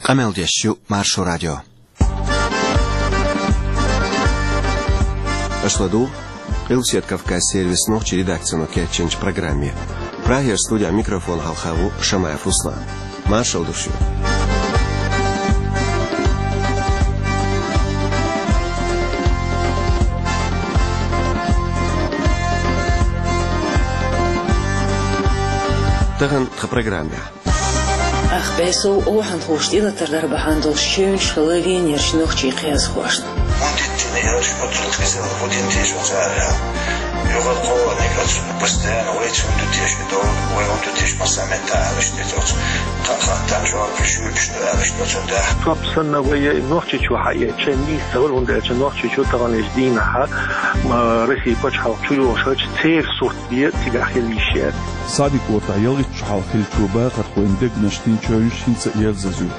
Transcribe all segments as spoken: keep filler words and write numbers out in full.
Къамел деш ю Маршо радио. Аша ладугӀу Къилбаседа Кавказан сервисан нохчийн редакцино кечйинчу программе. Прагера студехь микрофон хьалха ву Шамаев Руслан. Маршалла ду шуьга. Тахана тхан программехь. Ах бесов охьанхуш тӀелатар дар бахьана долуш чевнаш хилла Венерчу нохчийн кхиазхошна. ХӀунда дина аьлча, оццул кхеза, хӀун дина теша оцу ара? Юха кхоъниг оцу постоянно вайца хӀунда теша до, вай хӀунда теша массаметтан аьлла иштта оцу. Кхаа хаттарна жоп шуьйбуш ду аьлла иштта оцу да. Топ санна вай Нохчийчу хьаэца нийса ца хуьлу, хӀунда аьлча Нохчийчу таханлерчу дийнахьа, м, Россия пачхьалкх чу йолуш хилча церан сурт бен цигахь хила йиш яра. Сади-кӀотахь ялхитта шо хьалха хиллачу бахархойн дегнаш дина чевнаш хӀинца а ерзаза ю.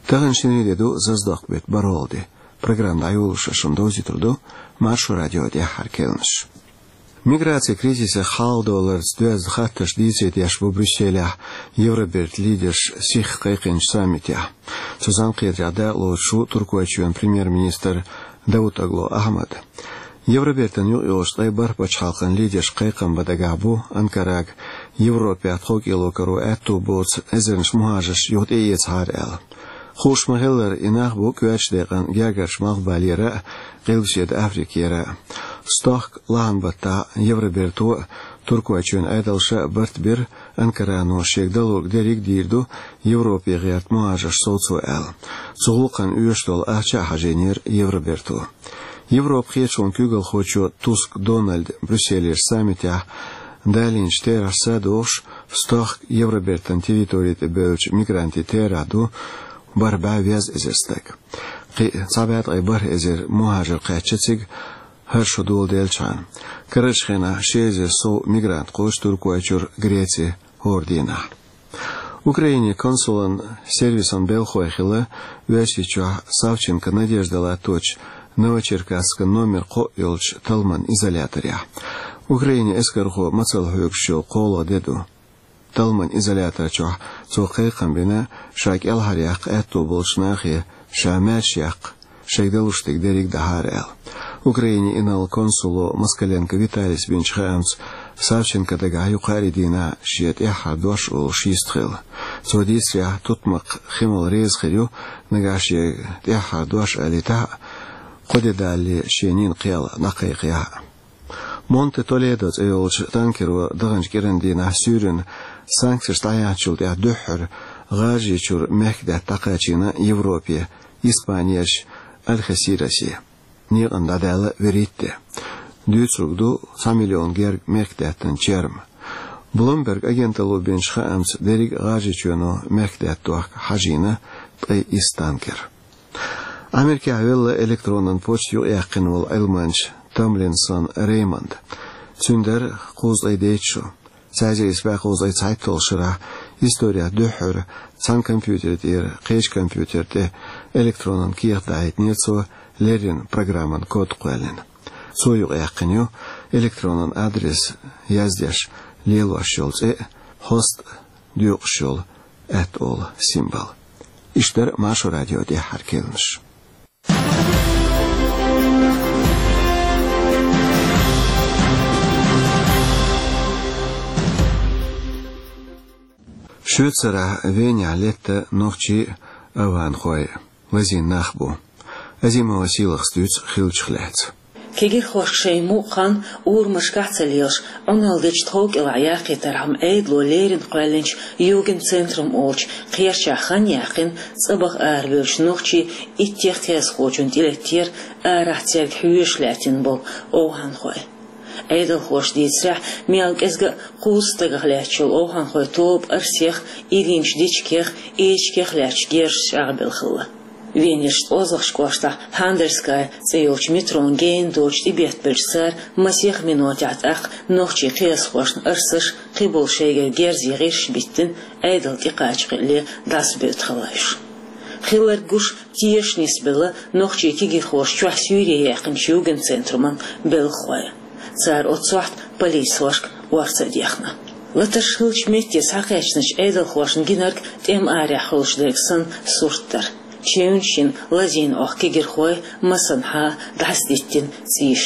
Тахана шинарин де ду, Заздокъ беттан бархӀалгӀа де. Программа дӀайолош шуна довзуьйтур ду Маршо радион тӀаьххьара керланаш. Миграцин кризисах хьалхадовларца доьзна хаттарш дийцаре деш бу Брюсселехь Евробертан лидерш сиха кхайкхинчу саммитехь. Цу зӀамкхетарехь дакъалоцуш ву Туркойчоьнан премьер-министр Давутоглу Ахьмад. Евробертан юкъайолчу ткъе бархӀ пачхьалкхан лидерш кхайкхам бан дагахь бу Анкарага Европехь тховкӀело каро аьтту боцу эзарнаш мухӀажарш юха тӀеэцахьара аьлла. Хууш ма-хиллара, и нах бу коьртачу декъана гергарчу Малхбалера а, Къилбаседа Африкера а. Стохка лахьан баттахь Евроберто а, Туркойчоьнан Ӏедалша а барт бира, Анкарано шега далург дерриг а дийр ду Европе гӀерта мухӀажарш совцо аьлла. Цу гӀуллакхна оьшуш долу ахча а хьажийнера Евроберто. Европан хеташонан куьйгалхочо Туск Дональда Брюсселера саммитехь далийначу терахьца догӀуш, стохка Евробертан территори тӀе бевллачу мигрантийн терахь ду бархӀ бӀе веза эзар стаг. Кхин а цхьа бӀе ткъе бархӀ эзар мухӀажар кхаьчна цига, хӀара шо доладеллачхьана. Карарчу хенахь ши эзар сов мигрант кхочу Туркойчуьра Греце хӀора дийнахь. Украинин консулан сервисан белхахой хилла Оьрсийчохь Савченко Надежда латточу Новочеркасскан номер кхоъ йолчу талламан изоляторехь. Украинин эскархо мацалла хьоьгуш йолу кхоалгӀа де ду. Талламан изолятор чохь цо кхайкхам бина, ша кӀелхьаръяккха аьтто болчу нахе ша маьрша яккха, шайга далуш дерг дерриг дахьара аьлла. Украинин инарла консуло Москаленко Виталис бинчу хаамца, Савченко дагахь ю кхаарин дийнахь шен тӀаьххьара дош олуш йист хилла. Цо дийцарехь, тутмакх Химал реза хир ю, нагахь шега тӀаьххьара дош алийтахь а, кхо де далале шен нин кхел дӀакхайкхаяхь а. Монте Толедо цӀе йолчу танкеро даханчу кӀиран дийнахь суьйранна санкцеш дӀаяьхьначул тӀаьхьа дуьххьара ГӀажарийчуьра мехкдаьтта дӀакхачийна Европе, Испанерчу Алхесирасе. Некъан дӀадаьлла вуьрхӀитта де. Дуьйцург ду цхьа миллион герга мехкдаьттан черма. Bloomberg агенталло бинчу хаамца, дерриг а ГӀажарийчоьно мехкдаьтта дохка хьажийна ткъе исс танкер. Америкехь велла электронан почта юкъаяьккхина волу Ӏилманча Томлинсон Реймонд. Цуьнан дара кхузткъе дейтта шо. Цхьа эзар исс бӀе кхузткъе цхьайтталгӀачу шарахь исторехь дуьххьара цхьана компьютер тӀера кхечу компьютер тӀе электронан кехат дахьийтинера цо, леррина программан код кхоьллина. Цо юкъаяьккхина ю электронан адрес яздеш лелош йолу цӀе а, хьоста доькъуш йолу аьтто олу символ. Иштта дара Маршо радион тӀаьххьара керланаш. Швейцарехь Венехь летта нохчий а, аванхой а. Лазийна нах бу. Азимова Сийлахас дуьйцу хиллачух лаьцна. Кегирхошка шайн мукъа хан урамашкахь ца лелаш, Ӏуналла дечу тховкӀелахь яккхийтархьама Ӏедало леррина кхоьллинчу Югенцентрум олучу кхерчахь хан яьккхина цӀа баха аравевллачу нохчийн иттех кхиазхочун тӀелеттера арахь цаьрга хьоьжуш лаьттина болу овхӀанхой. Ӏедалхоша дийцарехь, мел кӀезга а кхузткъа стагах лаьтташ йолу овхӀанхойн тоба Арсех, Иринчу Дичикех, Эчигех лаьтташ герзаш чӀагӀбелла хилла. Венерчу ткъозлагӀчу кӀоштахь Хандерская цӀе йолчу метрон гена доцуш тӀебеттабелча цара масех минотехь тӀаккха нохчийн кхиазхошна арсаш, кхиболу шайгара герзе гӀирсаш биттина, Ӏедал тӀекхача кхиале дӀасабевдда хилла уьш. Хилларг гуш тешаш нисбелла нохчийн кегирхоша чохь суьйре яьккхинчу Югенцентруман белхахой. Цара оццу сохьта полицейхошка орца а дехна. Латарш хиллача метте схьакхаьчнача Ӏедалхошна гинарг тӀема арахь хуьлуш дерг санна сурт дара. Чевнаш йина, лазийна оха кегирхой, масанхьа дӀасадиттина цӀийш.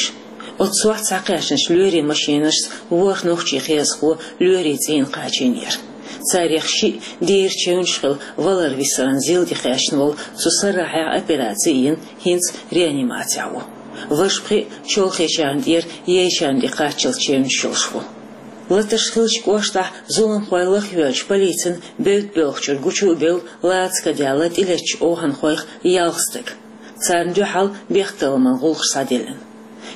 Оццу сохьта схьакхаьчнача лоьрийн машинашца ворхӀ нохчийн кхиазхо лоьрийн цӀийнан кхачийнера. Царех шиъ дера чевнаш хилла валар-висаран зил тӀе кхаьчна волу, цу сарахьехь операци а йина, хӀинца реанимацехь ву. Важа пхиъ чолхечарна тӀера, яйчарна тӀе кхаччалц чевнаш йолуш ву. Латарш хиллачу кӀоштахь зуламхой лахйоьлча, полицина бевдда боьлхучуьра гучу а бевлла, лаца кадаьлла тӀелеттачу овхӀанхойх ялх стаг. Царна дуьхьал бехктакхаман гӀуллакхаш схьадиллина.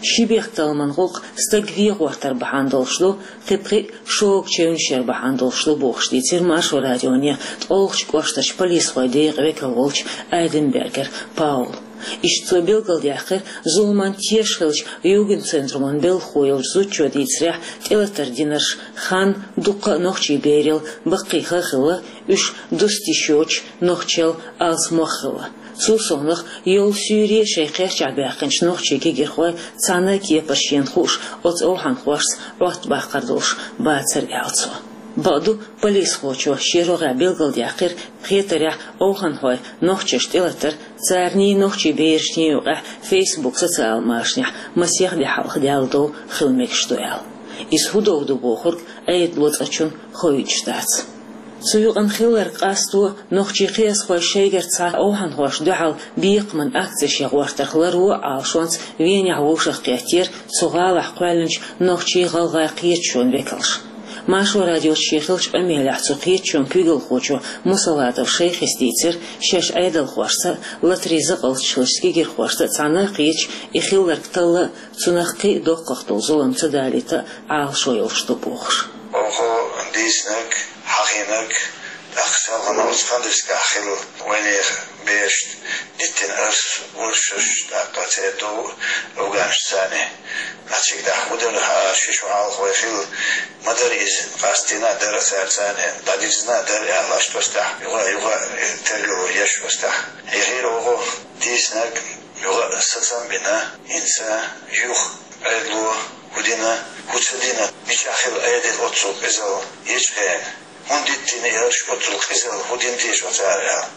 Ши бехктакхаман гӀуллакх стаг вен гӀортар бахьана долуш ду, кхин пхиъ шога чевнаш яр бахьана долуш ду бохуш дийцира Маршо радионе ткъолгӀачу кӀоштарчу полисхойн декъан векал волчу Айденбергер Паула. Иштта цо билгалдаьккхира, зуламан тешаш хиллачу Югенцентруман белхахо йолчу зудчо дийцарехь, тӀелатар динарш хан дуккха а нохчийн берал баккхийха а хилла, уьш дуста йиш йоцуш нохчел алсамох а хилла. Цул совнаха, йолу суьйре шайн кхерчахь баьккхинчу нохчийн кегирхой цхьана а кепара шена хууш оцу овхӀанхошца Ӏоттабаккхар долуш бацара аьлла цо. Бакъду, полисхочо шен рогӀехь билгалдаьккхира, хетарехь, овхӀанхойн нохчашна тӀелатар царний, нохчийн берашний юкъахь Facebook социал машанехь масех де хьалха даьлла дов хила мегаш ду аьлла. Иза хӀун дов ду бохург Ӏедало цкъачунна хоуьйтуш дац. Цу юкъана хилларг къасто нохчийн кхиазхой шайгара цхьа овхӀанхошна дуьхьал бекхаман акцеш ян гӀортарх ларво а Ӏалашонца Венехь вовшахкхеттера цу гӀалахь кхоьллинчу нохчийн-гӀалгӀайн кхеташонан векалш. Маршо радиоца шен хиллачу къамелехь цу кхеташонан куьйгалхочо Мусалатов Шайхис дийцира, шаьш Ӏедалхошца а, латарийн закъалтчу хиллачу кегирхошца а цхьаьна а кхеташ, и хилларг талла а, цунах кхин а доккхах долу зулам ца далийта а Ӏалашо йолуш ду бохуш. Оха дийцинарг, хьахийнарг, тӀаккха селхана оцу Хандрискахь хилла вайнехан берашна диттина арс, урсаш, тӀаккха церан дов афганашца царна. Цига дахьа хӀун дара хаа, ши шо хьалха вай хилла, ма дара иза, къастийна а дара цара царна, дӀадирзина а дара аьлла, аш тостехь, юха а, юха а тергало еш тостехь. Эхира оха дийцинарг юха а сацам бина, хӀинца юха Ӏедало хӀун дина, хӀун ца дина, мичахь хилла Ӏедал оццул къизалла ечу хенахь? ХӀунда диттина и арш оццул къизалла, хӀун дина теша оцара аьлла?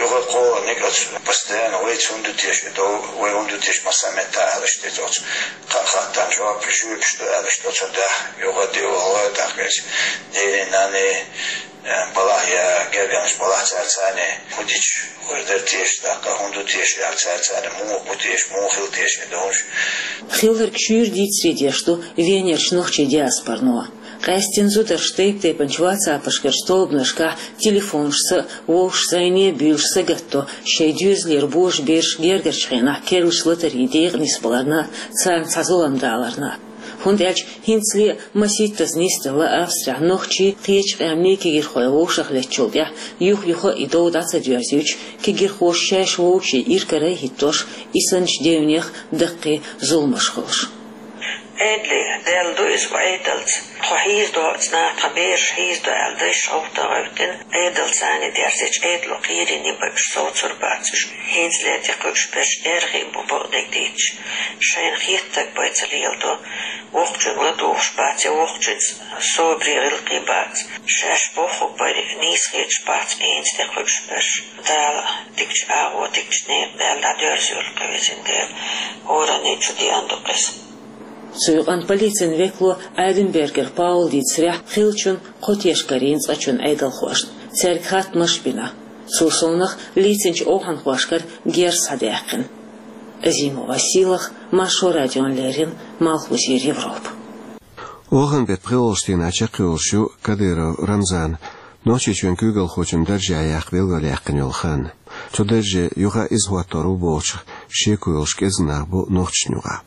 Юха кхоалгӀаниг оцу постоянно вайца хӀунда ду теша и дов, вай хӀунда ду теша массаметтахь аьлла иштта оцу кхаа хаттарна жоп жоьпаш ду аьлла иштта оцу дахь, юха а дӀавахара тӀаккха иза. Дийна нанна, э, балахь я гергарнаш балахь цара царна, хӀун дича хӀара дара теша, тӀаккха хӀунда ду теша аьлла цара царна, муха бу теша, муха хила теша и довш. Хилларг шуьйра дийцаре деш ду Венерчу нохчийн диаспорано. Къаьстина зударша тайп-тайпанчу ватсапашкарчу тобанашкахь телефонашца а, вовшашца а зӀене а буьйлуш сагатдо шайн доьзалера божабераш гергарчу хенахь керлачу латарийн декъа нисбаларна а, царна цхьа зулам даларна а. ХӀунда аьлча хӀинцале а масийттаза нисделла Австрехь нохчий, кхечу къаьмнийн кегирхой вовшахлеттачул тӀаьхьа юха-юха а и дов дӀа ца доьрзуьйтуш, кегирхоша шаьш вовшийн иракарахӀиттош, и санначу девнех даккхий зуламаш хуьлуш. Ӏедале даьлла ду иза вай Ӏедалца. Тхо хьийзадо цӀа, тхан бераш хьийзадо аьлла, дайша гӀовттан гӀевттина, Ӏедалца царна дерзича, Ӏедало кхерийна бен уьш совцур бац уьш. ХӀинцале тӀекхуьуш берш эргӀий бу бакъдерг дийцча. Шайна хеттарг бен ца леладо, воккхачуьнга ладугӀуш бац я воккхачуьнца собаре гӀиллакхе бац. Шаьш бохург бен нийса хеташ бац хӀинца тӀекхуьуш берш. Дала дикачу агӀор, дикачу некъа Дала дӀадоьрзуьйту кхин везан Дела. ХӀоранна чу деана ду-кх иза. Цу юкъана полицин векало Айденбергер Паула дийцарехь, хиллачунна кхо теш карийна цкъачунна Ӏедалхошна, цаьрга хаттамаш а бина. Цул совнаха лийцинчу овхӀанхошкара герз схьадаьккхина. Азимова Сийлаха, Маршо радиона леррина, Малхбузера Европа. Оханан беттан пхоьалгӀачу дийнахь чекхйолуш ю Кадыров Рамзан Нохчийчоьнан куьйгалхочун даржехь яккха билгалъяьккхина йолу хан. Цу дарже юха а иза хӀоттор ву бохучух шеко йолуш кӀезиг нах бу нохчашна юкъахь.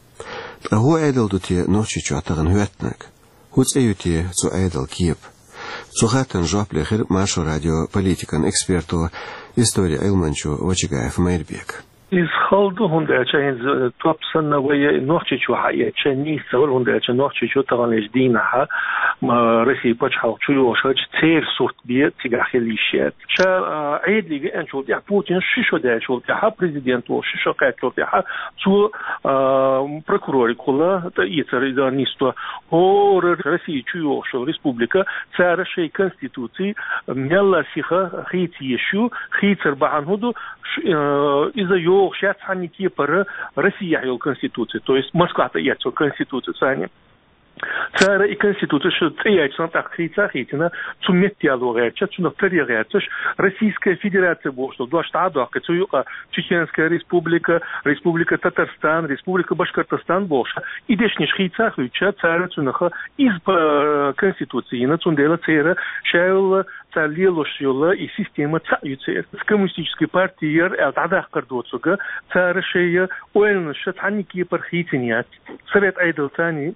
Ткъа хӀун Ӏедал ду те Нохчийчохь тахана хӀоьттинарг? ХӀун цӀе ю те цу Ӏедалан кепа? Цу хаттарна жоп лехира Маршо радион политикан эксперто, историн Ӏилманчо Вачагаев Майрбека. Иза хала ду, хӀунда аьлча хӀинца топ санна вай Нохчийчу хьаэцча нийса ца вара, хӀунда аьлча Нохчийчу таханлерчу дийнахьа, м, Россин пачхьалкх чу йогӀуш хилча церан сурт бен цигахь хила йиш яц. Ша, а, Ӏедале веанчул тӀаьхьа, Путин ши шо даьллачул тӀаьхьа, президент волуш ши шо кхаьччул тӀаьхьа, цо, а, прокуроригахула тӀаэцар иза нисдо. ХӀора Россин чу йогӀуш йолу республика, цара шайн конституций мелла сиха хийца езаш ю, хийцар бахьана хӀун ду, ш-, э, иза йогӀуш яц цхьанна кепара Россехь йолу конституци, то есть Москвахь тӀаэцна конституци санна. Цара и конституци шу цӀе яьлча санна тӀаккха хийца а хийцина, цу меттаяло гӀерташ, цунах таре гӀерташ, Российская Федерация бохуш долу дош дӀа а доккхий, цу юкъа Чеченская Республика, Республика Татарстан, Республика Башкортостан бохуш, и дешнаш хийца а хуьйцуш, цара цунах иза п-, конституци йина, цундела церан ша йолу, цара лелош йолу и система цхьаъ ю церан. Коммунистическая партия яра аьлла дӀадаккхар доцург, цара шайн ойланаш цхьанна кепара хийцина яц. Совет Ӏедал царна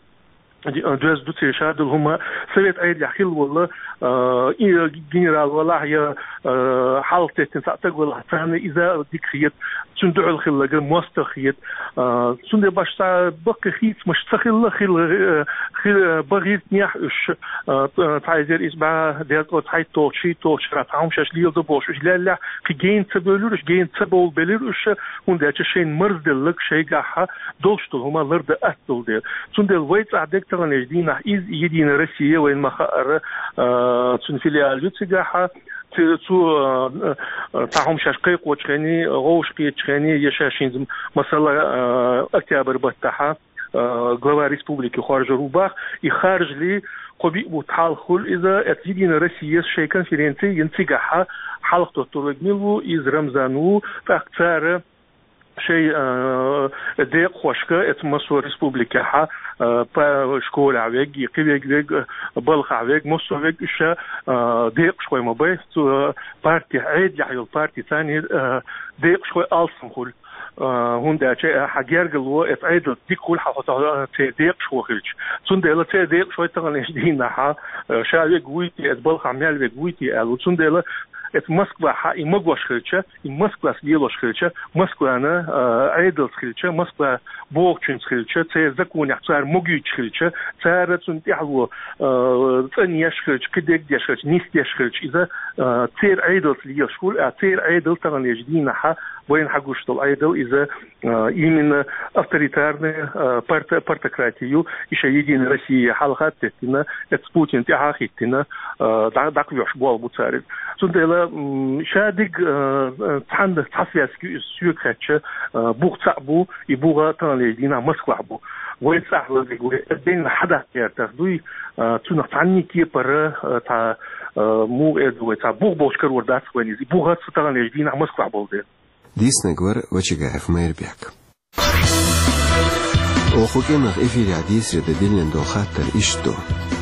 доьзна ду церан ша долу хӀума, Совет Ӏедалехь хилла волу, а, и генерал валахь я, а, хьалха теттина цхьа стаг валахь, царна иза дика хета, цуьнан дуьхьал хилларг мостагӀа хета. А, цундела башха цхьа баккхий хийцамаш ца хилла, хилла, э, хи-, э, бан гӀиртинехь уьш, а, цхьа эзар исс бӀе дезткъе цхьайтталгӀачу, шийтталгӀачу шарахь цхьа хӀума шаьш леладо бохуш уьш леллехь, кхин гена ца бевлира уьш, гена ца бовла белира уьш, хӀунда аьлча шайна марзделларг шайгахь долуш долу хӀума лардан атта долу дела. Цундела вай цӀахь дерг таханлерчу дийнахь иза Единая Россия вайна ма-хаъара, а, цуьнан филиал ю цигахь, ци-, цу, а, а, цхьа хӀума шаьш кхайкхочу хенахь, вовшахкхетачу хенахь, я шаьш хӀинца, масала, а, октябрь баттахь, а, глава республики хоржур ву боху, и харжале кхо-биъ бутт хьалха хуьлу иза, эцу Единая Россияс шайн конференци йина цигахь, хьалха доттур верг мила ву, иза Рамзан ву, тӀаккха цара шайн, а, декъахошка, эцу массо а республикехь, а, па-, школехь верг, и кхин верг, верг, а, балхахь верг, массо а верг уьш, а, декъашхой ма бай, цу, а, партехь, Ӏедалехь йолу партий царна, а, декъашхой алсам хуьлу. А, хӀунда аьлча, а, хьан гергарло, эцу Ӏедалца дика хуьлу хьан хьо цу, а, церан декъашхо хилча. Цундела церан декъашхой таханлерчу дийнахь, а, ша верг вуй те, эцу балхахь мел верг вуй те аьлла. Цундела эцу Москвахь и магош хилча, и Москвас лелош хилча, Москвана, а, Ӏедалца хилча, Москва бохучуьнца хилча, церан законехь цара могуьйтуш хилча, цара цунна тӀаьхьало, а, цӀанъеш хилча, кхидерг деш хилча, нисдеш хилча, иза, а, церан Ӏедалца лелаш хуьлу, а церан Ӏедал таханлерчу дийнахь вайна хьагуш долу Ӏедал иза, а, именно авторитарная, а, парт-, партократия ю, и шайн Единая Россия хьалха а теттина, эцу Путина тӀаьхьа а хӀиттина, а, дӀа-, дӀакхоьхьуш болх бу цара иза. Цундела, м, ша дерг, а, а, цхьанна цхьа связка ю иза соьга хаьттича, а, бух цхьаъ бу, и бух таханлерчу дийнахь Москвахь бу. Вай цӀахь лазиг вай, дайна хьадаккха гӀертарх дуй, а, цунах цхьанна кепара, а, цхьа, а, муха эр ду вай, цхьа бух болчу карор дац вайн иза. И бух ца таханлерчу дийнахь Москвахь болу дела. Дийцинарг вара Вачагаев Майрбек. Оха кӀиранах эфирехь дийцаре дан диллина долу хаттар иштта ду.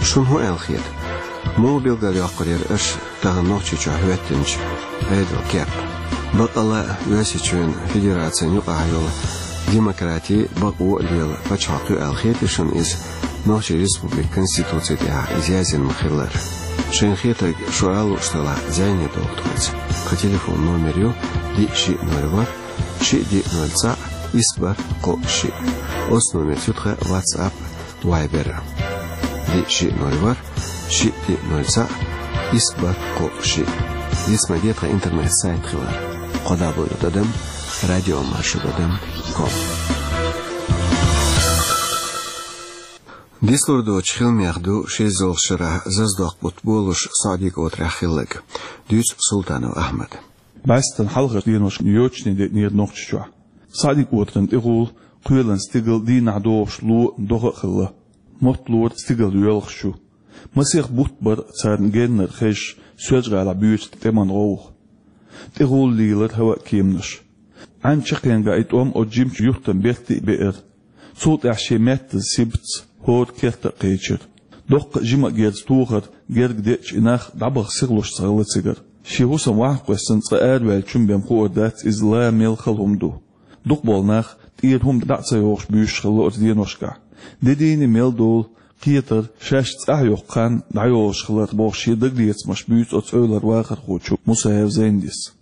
Шуна хӀун аьлла хета? Муха билгалйоккхур яра аша тахана Нохчийчохь хӀоьттинчу Ӏедалан кеп? Баккъала а Оьрсийчоьнан Федерацин юкъахь йолу демократи, бакъо а лела пачхьалкх ю аьлла хетий шуна иза, Нохчийн Республикан Конституци тӀехь иза яздина ма-хиллара? Шайна хетарг шу ала лууш делахь, зӀене догӀа тхоьца. Тхан телефон номер ю: диъ шиъ ноль ворхӀ, шиъ диъ ноль цхьаъ, исс бархӀ кхоъ шиъ. Оцу номерца ю тхан WhatsApp, Viber. Диъ шиъ ноль ворхӀ, шиъ диъ ноль цхьаъ, исс бархӀ кхоъ шиъ. Дицмаде тхан интернет-сайт хилар: кхо дабл ю тӀадам радиомаршо тӀадам ком. Дицлур доцчу хиламех ду ши эзарлагӀчу шарахь Зазадоккху бутт болуш СаӀди-КӀотарехь хилларг. Дуьйцу Султанов Ахьмада. БӀаьстан хьалхарчу деношкахь йочане деънера Нохчийчохь. СаӀди-КӀотаран тӀегӀулла, кхоьлан стигал дийнахь догӀуш ло а, догӀа а хилла. Мотт лора стигал йоьлхуш ю. Масех бутт бара царна геннара хезаш Соьлжа-ГӀалахь буьйцу тӀеман гӀовгӀа. ТӀегӀулла лийлара хӀаваъ кеманаш. Ӏаьн чекхъяьнга и тӀом оцу жимачу юьртан берта а беара. Цул тӀаьхьа шен меттаза сибатца хӀора керта а кхечира. Доккха а, жима а герз тохар герга деъча, и нах дӀабаха сихлуш ца хилла цигара. Шен хӀусам ваха кхоьссина цкъа араваьллачунна бен хуур дац иза ла мел хала хӀума ду. Дукхахболу нах тӀера хӀума дӀа а ца йохуш буьйсуш хилла оцу деношкахь. Де дийна мел долу кхетар шаьш цӀахь йоккху хан дӀайолуш хилар бохуш шен дагалецамаш буьйцу оцу эвлара вахархочо Мусаев Зайндис.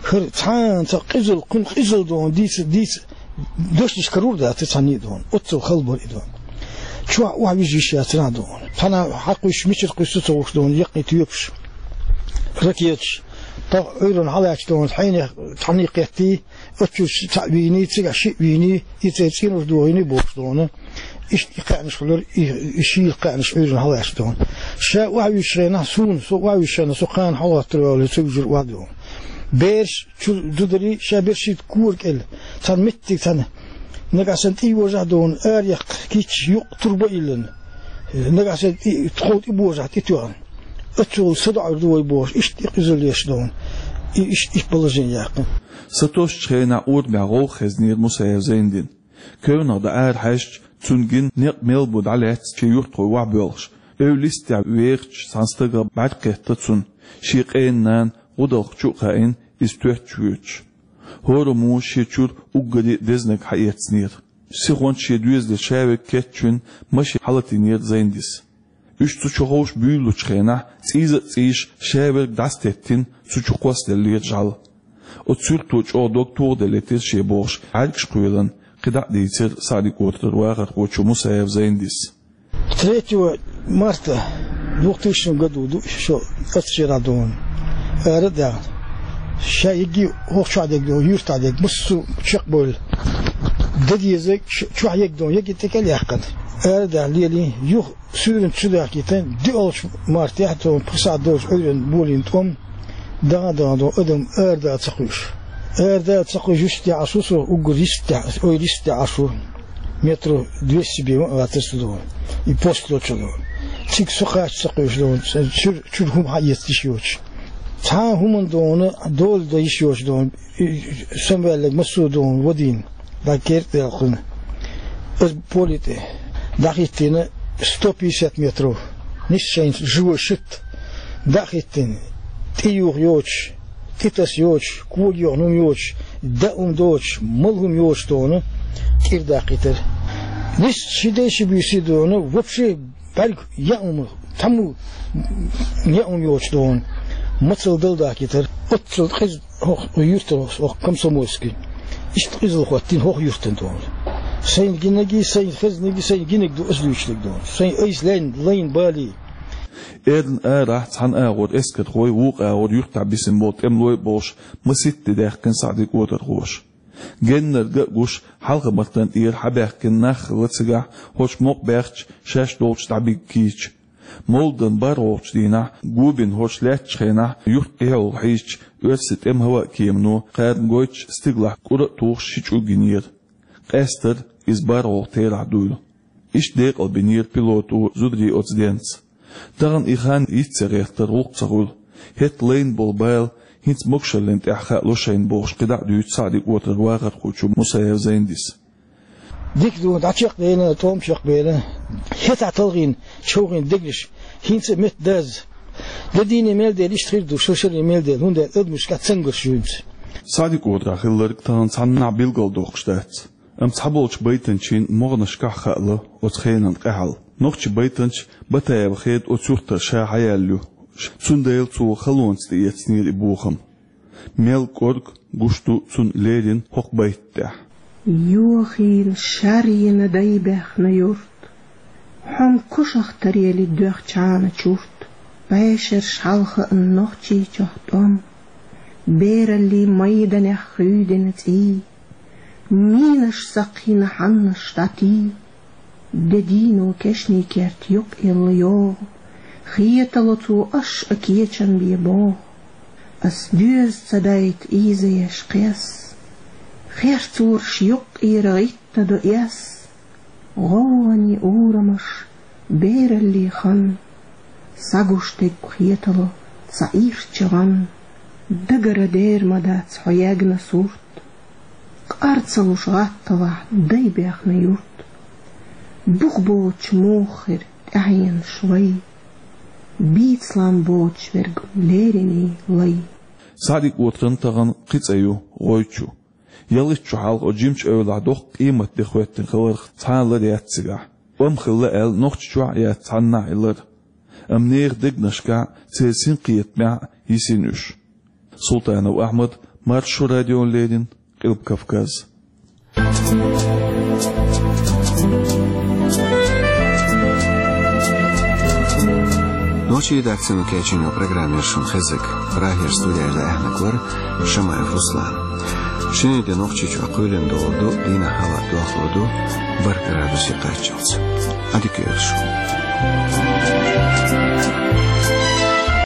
ХӀара цхьана цхьа къизал, кхуьнан къизал дона, дийца, дийца, дошнаш карур дац цхьанний дона. Оццул хала бара и дона. Чохь охьавижа йиш яцара дона. Цхьана хьакхуьйсуш, мичара кхуьссу ца хууш дона, яккхий тоьпаш, ракеташ. Тахана Ӏуьйранна хьалаьцча дона, хьенех цхьанний кхеттий, оццул цхьаъ вийний, цигахь шиъ вийний, и цӀе цӀенош дохийний бохуш дона. Иштта и кхаьънаш хуьлура, и, и шийла кхаьънаш Ӏуьйранна хьалаьцча дона. Ша охьавуьжучу хенахь суна, со охьавуьжучу хенахь со кхана хьалхӀоттар ваьлла ца вуьжура охьа дона. Бераш чу зударий ша бершийтта кора кӀел. Цхьана меттиг цхьана. Нагахь санна тӀе йожахь дона, араяьккха кийча юкъа турба а йиллина. Нагахь санна тӀе, тхов тӀе божахь тӀетоьхна. Оццул садоӀур ду вай бохуш, иштта и къизал еш дона. И иштта и положение яьккхина. Сатосучу хенахь урамехь гӀовгӀа хезнера Мусаев Зайндин. Кевнах дӀа ара хьаьжча, цунна гина некъ мел бу дӀалаьцна шен юьртахой охьабоьлхуш. Эвла йистехь вехачу цхьана стага бӀаьрг кхетта цунна. Шен къена нана гӀудалх чу а хаийна, иза тоьттуш воьдуш. ХӀораммо шен чуьра уггаре а дезнарг хьаэцнера. Сихонца шен доьзалера ша верг кечвина машен хьалатийнера Зайндис. Уьш цу чу ховша буьйлучу хенахь, цӀийза а цӀийш, ша верг дӀасатеттина, цу чу кхоссаделлера жӀаьла. Оцу суьрто чӀогӀа дог тохаделлийтира шен бохуш, бӀаьргаш кхоьллина, кхидӀа а дийцира Саьдиг-Отаран вахархочо Мусаев Зайндис. Третьего марта двухтысячного году ду шо аццера дона. Ара а даьхна. Ша егги хӀокху чохь дерг дона, юьртахь дерг, массо а чекхбевлла. Дан дезарг ш-, чохь егги дона, егги тӀекӀел а яьккхина. Ара а даьхна лелий, юха суьйранна чу дахкийтина, диъалгӀачу мартехь а, тхуна пхи сахьт долчу Ӏуьйранна болийна тӀом, даха а даха дона, адам арадала ца кхуьуш. Арадала ца кхуьуш, йистехь Ӏаш ву со, уггар йистехь, ойла йистехь Ӏаш ву. Метров двести бен ма а вацара со дона. И пост лочу дона. Цига со кхача ца кхуьуш дона, чуьра, чуьра хӀума хьаэца йиш йоцуш. Цхьа а хӀуманна дона, дола дан йиш йоцуш дона. И самаваьлларг массо а дона вадийна, дӀа керта делхина. Аса поле тӀе дӀахӀиттийна сто пятьдесят метров. Нисса шайна живой щит дӀа а хӀиттина, тӀе юха йоцуш, тӀе таса йоцуш, кога йохна хӀума йоцуш, даа хӀума доцуш, мала хӀума йоцуш дона, кӀира даккхийтира. Нисса ши ден ши буьйсий дона, вообще бӀаьрг яа хӀума, цхьаммо яа хӀума йоцуш дона, мацалла дала дахкийтира. Оццул къиза хӀокху юьртара, хӀокху Комсомольский. Иштта къизалла хӀоттийна хӀокху юьртана дона. Сайна гинаргий, сайна хезнаргий, сайна гинарг ду аса дуьйцург дона. Сайна айса лайна, лайна балий. Эрна арахь цхьана агӀор эскархой, вукху агӀор юьртахь бисина болу тӀемалой а болуш, масийтта де даьккхина Саьдиг-Отархоша. Геннарг а гуш, хьалха-мартан тӀера хьабаьхкина нах хилла цигахь, хӀорш мукъа баьхча, шаьш долчу дӀабига кийча. Мовладан бархӀолгӀачу дийнахь, го бина хӀорш лаьттачу хенахь, юьртан тӀехула хьийзачу оьрсийн тӀеман хӀаваан кемано кхарна гойтуш стигалахь кӀура а тухуш ши чӀуг йинера. Къаьстара иза бархӀолгӀа терахь дуйла. Иштта декъалбинера пилото зударий оцу денца. Тахана и хан йиц ца гӀертара гӀуллакх ца хуьлу. ХӀетахь лайна болу бала хӀинца могушаллин тӀехь хаало шайна бохуш, кхидӀа а дуьйцу Саьдиг-Отаран вахархочо Мусаев Зайндис. Дика ду, дӀа чекхдевлла, тӀом чекхбевлла. ХӀетахь талхийна, човхийна дегнаш хӀинца а метта дазза. Де дийне мел дела, иштта хир ду, шо шаре мел дела, хӀунда аьлча адамашкахь цамгарш ю хӀинца. Саьдиг-Отарахь хилларг тахана цхьаннахьа билгалдоккхуш дац. Амма цхьаболчу байтанчийн могӀанашкахь хаало оцу хенан къаьхьалла. Нохчийн байтанча Батаева Хеда оцу юьртара ша хьаяьлла ю. Цундела цо халонца тӀеэцнера и бохам. Мел кӀорга гуш ду цунна леррина хӀокху байтан тӀехь. Йохийла шар йина дай баьхна юрт, хьо-м кошах таръели доьхначхьана чурт, бӀешераш хьалха а нохчийчохь тӀом, бераллин майданех хуьйдина цӀий, минаш сакхйина хьаннаш дӀатий. Де дийно кешнийн керт юккъелла йогӀу, хетало цо аш а кечам бе богӀу. Ас доьза ца дайта ийзаеш кхес, херцораш юккъера гӀиттадо эс. ГӀовгӀане урамаш, бераллин хан, сагуш дерг хетало ца ирча гӀан. Дагара дер ма дац хьо ягна сурт, къар ца луш гӀатталахь дай баьхна юрт. Бух боцуш муха хир тӀаьхьенаш вай, бийцалан боцуш верг леррина лай. Саьдиг-Отаран тахана кхин цӀе ю ГӀойчу. Ялхитта шо хьалха оцу жимачу эвлахь доккха къематде хӀоьттина хиларх цхьа а лар яц цигахь. ПӀом хилла аьлла, Нохчийчохь а яц цхьаннахьа и лар. Амма нехан дегнашкахь, церан синкхетамехь йисина уьш. Султанов Ахьмад, Маршо радиона леррина Къилба Кавказ. Нохчийн редакцино кечйина программа яр шун хезарг. Прагера студера дӀааьннарг вар Шамаев Руслан. Шинарин де Нохчийчохь кхоьлина догӀур ду, дийнахь хӀаваъ доьхур ду, бархӀ градусе кхаччалц. Ӏадика йойла шун.